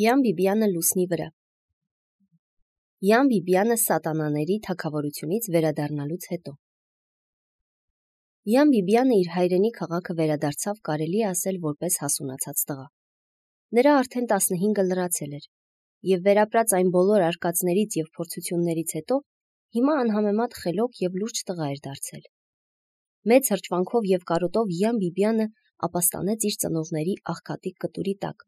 Յան Բիբյանը լուսնի վրա։ Յան Բիբյանը սատանաների թագավորությունից վերադառնալուց հետո։ Յան Բիբյանը իր հայրենի քաղաքը վերադարձավ, կարելի է ասել, որպես հասունացած տղա։ Նրա արդեն 15 լրացել էր, եւ վերապրած այն բոլոր արկածներից եւ փորձություններից հետո հիմա անհամեմատ խելոք եւ լուրջ տղա էր դարձել։ Մեծ հրճվանքով եւ կարոտով Յան Բիբյանը ապաստանեց իր ծնողների աղքատիկ կտուրի տակ,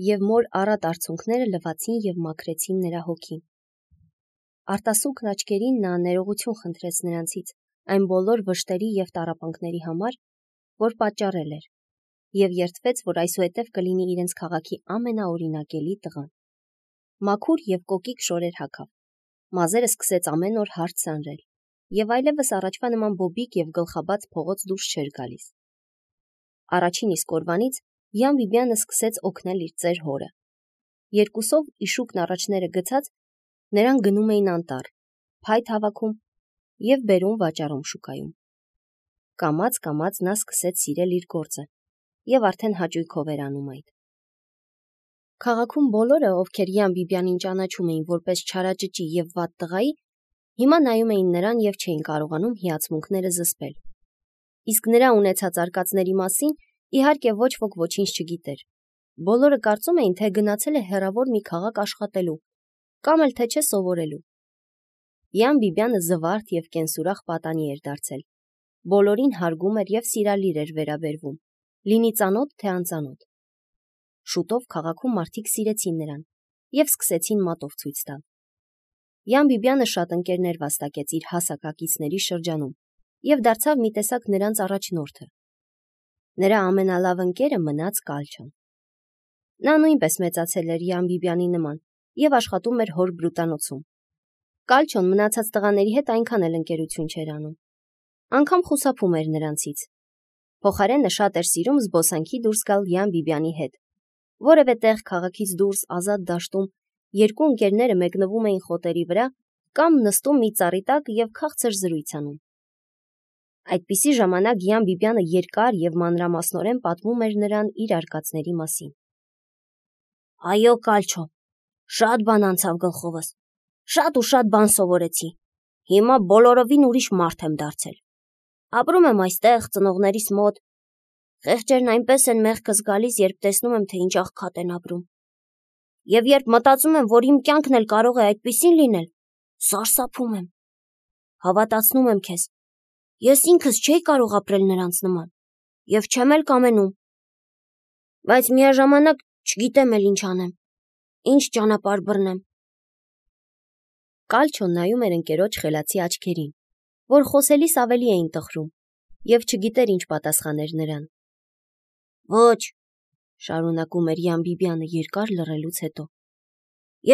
եւ մոր առատ արցունքները լվացին եւ մաքրեցին նրա հոգին։ Արտասուքն աչքերին նա ներողություն խնդրեց նրանցից այն բոլոր վշտերի եւ տառապանքների համար, որ պատճառել էր, եւ երդվեց, որ այսուհետև կլինի իրենց քաղաքի ամենաօրինակելի տղան։ Մաքուր եւ կոկիկ շորեր հագավ, մազերը սկսեց ամեն օր հարթ սանրել, եւ այլևս առաջվա նման բոբիկ եւ գլխաբաց փողոց դուրս չէր գալիս։ Առաջին իսկ օրվանից Յան Բիբյանը սկսեց օգնել իր ծեր հորը։ Երկուսով իշուկն առաջները գցած, նրան գնում էին անտառ, փայտ հավաքում եւ բերում վաճառում շուկայում։ Կամաց նա սկսեց սիրել իր գործը եւ արդեն հաճույքով էր անում այդ։ Քաղաքում բոլորը, ովքեր Յան Բիբյանին ճանաչում էին որպես չարաճճի եւ վատ տղայի, հիմա նայում էին նրան եւ չէին կարողանում հիացմունքները զսպել։ Իսկ նրա ունեցած արկածների մասին իհարկե ոչ ոք ոչինչ չգիտեր։ Բոլորը կարծում էին, թե գնացել է հեռավոր մի քաղաք աշխատելու, կամ էլ թե չէ սովորելու։ Յան Բիբյանը զվարթ եւ կենսուրախ պատանի էր դարձել։ Բոլորին հարգում էր եւ սիրալիր էր վերաբերվում, լինի ծանոթ թե անծանոթ։ Շուտով քաղաքում մարդիկ սիրեցին նրան եւ սկսեցին մատով ցույց տալ։ Յան Բիբյանը շատ ընկերներ վաստակեց իր հասակակիցների շրջանում եւ դարձավ մի տեսակ նրանց առաջնորդը։ Նրա ամենալավ ընկերը մնաց Կալչոն։ Նա նույնպես մեծացել էր Յան Բիբյանի նման եւ աշխատում էր հոր բրուտանոցում։ Կալչոն մնացած տղաների հետ այնքան էլ ընկերություն չէր անում։ Անգամ խուսափում էր նրանցից։ Փոխարենը շատ էր սիրում զբոսանքի դուրս գալ Յան Բիբյանի հետ։ Որևէ տեղ քաղաքից դուրս ազատ դաշտում երկու ընկերները մեկնվում էին խոտերի վրա կամ նստում մի ծառի տակ եւ քաղցր զրույց անում։ Այդպիսի ժամանակ Յան Բիբյանը երկար եւ մանրամասնորեն պատմում էր նրան իր արկածների մասին։ Այո, Կալչո, շատ բան անցավ գլխովս, շատ ու շատ բան սովորեցի։ Հիմա բոլորովին ուրիշ մարդ եմ դարձել։ Ապրում եմ այստեղ ծնողներիս մոտ։ Խեղճերն այնպես են մեղքս գալիս, երբ տեսնում եմ, թե ինչ աղքատ են ապրում։ Եվ երբ մտածում եմ, որ իմ կյանքն էլ կարող է այդպիսին լինել, սարսափում եմ։ Հավատացնում եմ քեզ, ես ինքս չէի կարող ապրել նրանց նման, եւ չեմ էլ կամենում։ Բայց միաժամանակ չգիտեմ էլ ինչ անեմ, ինչ ճանապարհ բռնեմ։ Կալչոն նայում էր ընկերոջ խելացի աչքերին, որ խոսելիս ավելի էին տխրում, եւ չգիտեր ինչ պատասխաներ նրան։ Ոչ, շարունակում էր Յան Բիբյանը երկար լռելուց հետո։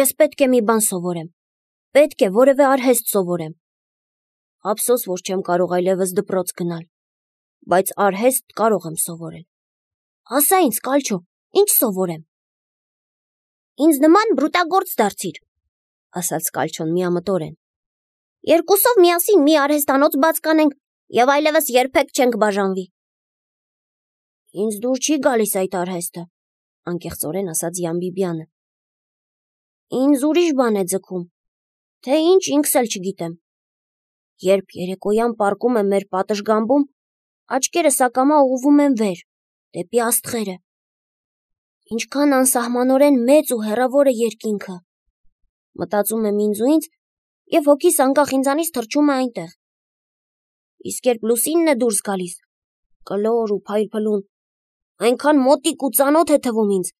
Ես պետք է մի բան սովորեմ, պետք է որևէ արհեստ սովորեմ։ Ափսոս, որ չեմ կարող այլևս դպրոց գնալ, բայց արհեստ կարող եմ սովորել։ Ասա ինձ, Կալչո, ինչ սովորեմ։ Ինձ նման բրուտագործ դարձիր, ասաց Կալչոն միամտորեն։ Երկուսով միասին մի արհեստանոց բաց կանենք եւ այլևս երբեք չենք բաժանվի։ Ինձ դուր չի գալիս այդ արհեստը, անկեղծորեն ասաց Յան Բիբյանը։ Ինձ ուրիշ բան է ձգում, թե ինչ ինքս էլ չգիտեմ։ Երբ երեկոյան պառկում եմ մեր պատշգամբում, աչքերս ակամա ուղղվում են վեր, դեպի աստղերը։ Ինչքան անսահմանորեն մեծ ու հեռավոր է երկինքը։ Մտածում եմ ինձ ու ինձ, եւ հոգիս անկախ ինձանից թռչում է այնտեղ։ Իսկ երբ լուսինն է դուրս գալիս, կլոր ու փայլփլուն, այնքան մոտիկ ու ծանոթ է թվում ինձ,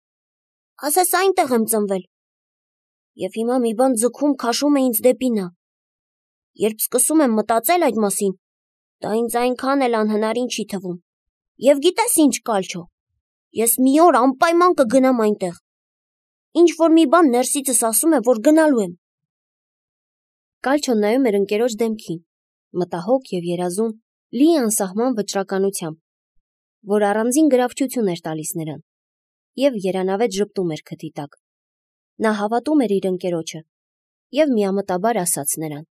ասես այնտեղ եմ ծնվել։ Եվ հիմա մի բան ձգում քաշում է ինձ դեպի նա։ Երբ սկսում եմ մտածել այդ մասին, դա ինձ այնքան էլ անհնարին չի թվում։ Եվ գիտես ինչ, Կալչո, ես մի օր անպայման կգնամ այնտեղ։ Ինչ որ մի բան ներսիցս ասում է, որ գնալու եմ։ Կալչոն նայում էր ընկերոջ դեմքին, մտահոգ եւ երազում, լի անսահման վճռականությամբ, որ առանձին գրավչություն էր տալիս նրան, եւ երանավետ ժպտում էր քթի տակ։ Նա հավատում էր իր ընկերոջը եւ միամտաբար ասաց նրան.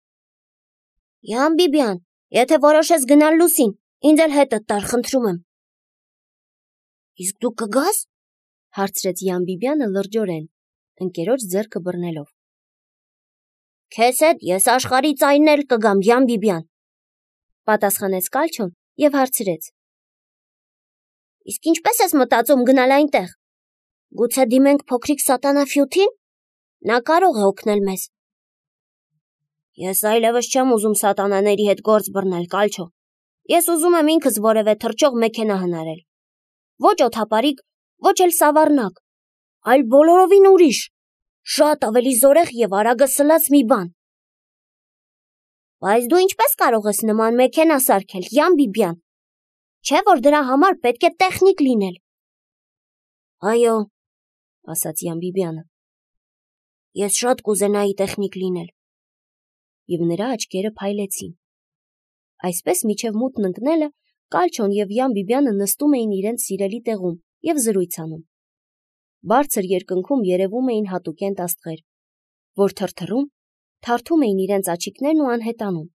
Յան Բիբյան, եթե որոշես գնալ լուսին, ինձ էլ հետդ տար, խնդրում եմ։ Իսկ դու կգաս, Հարցրեց Յան Բիբյանը լրջորեն, ընկերոջ ձեռքը բռնելով։ Քեզ հետ ես աշխարհի ծայրն էլ կգամ, Յան Բիբյան, պատասխանեց Կալչոն եւ հարցրեց. Իսկ ինչպես ես մտածում գնալ այնտեղ։ Գուցե դիմենք փոքրիկ սատանաֆյութին։ Նա կարող է օգնել մեզ։ Ես այլևս չեմ ուզում սատանաների հետ գործ բռնել, Կալչո։ Ես ուզում եմ ինքս որևէ թռչող մեքենա հնարել։ Ոչ օդապարիկ, ոչ էլ սավառնակ, այլ բոլորովին ուրիշ, շատ ավելի զորեղ եւ արագասլաց մի բան։ Բայց դու ինչպես կարող ես նման մեքենա սարքել, Յան Բիբյան։ Չէ՞ որ դրա համար պետք է տեխնիկ լինել։ Այո, ասաց Յան Բիբյանը։ Ես շատ կուզենայի տեխնիկ լինել։ Եվ նրա աչքերը փայլեցին։ Այսպես միջև մութն ընկնելը Կալչոն եւ Յան Բիբյանը նստում էին իրենց սիրելի տեղում եւ զրույց անում։ Բարձր երկնքում երևում էին հատուկենտ աստղեր, որ թրթռում, թարթում էին իրենց աչիկներն ու անհետանում։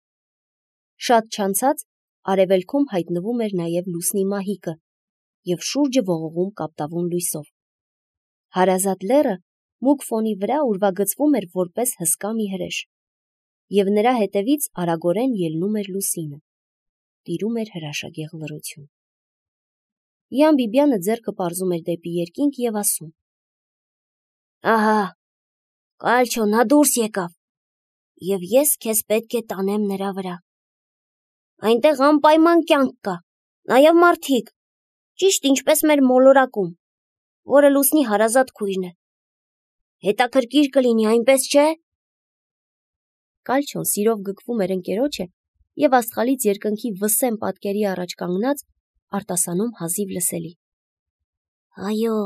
Շատ չանցած արևելքում հայտնվում էր նաեւ լուսնի մահիկը եւ շուրջը ողողում կապտավուն լույսով։ Հարազատ լեռը մուգ ֆոնի վրա ուրվագծվում էր որպես հսկա մի հրեշ, եւ նրա հետևից արագորեն ելնում էր լուսինը, տիրում էր հրաշագեղ լռություն։ Յան Բիբյանը ձեռքը պարզում էր դեպի երկինք եւ ասում. Ահա, Կալչո, նա դուրս եկավ, եւ ես քեզ պետք է տանեմ նրա վրա։ Այնտեղ անպայման կյանք կա, նաեւ մարդիկ, ճիշտ ինչպես մեր մոլորակում, որը լուսնի հարազատ քույրն է։ Հետաքրքիր կլինի, այնպես չէ՞։ Կալչոն սիրով գկվում էր ընկերոջը եւ աստղալից երկնքի վսեմ պատկերի առաջ կանգնած արտասանում հազիվ լսելի։ Այո,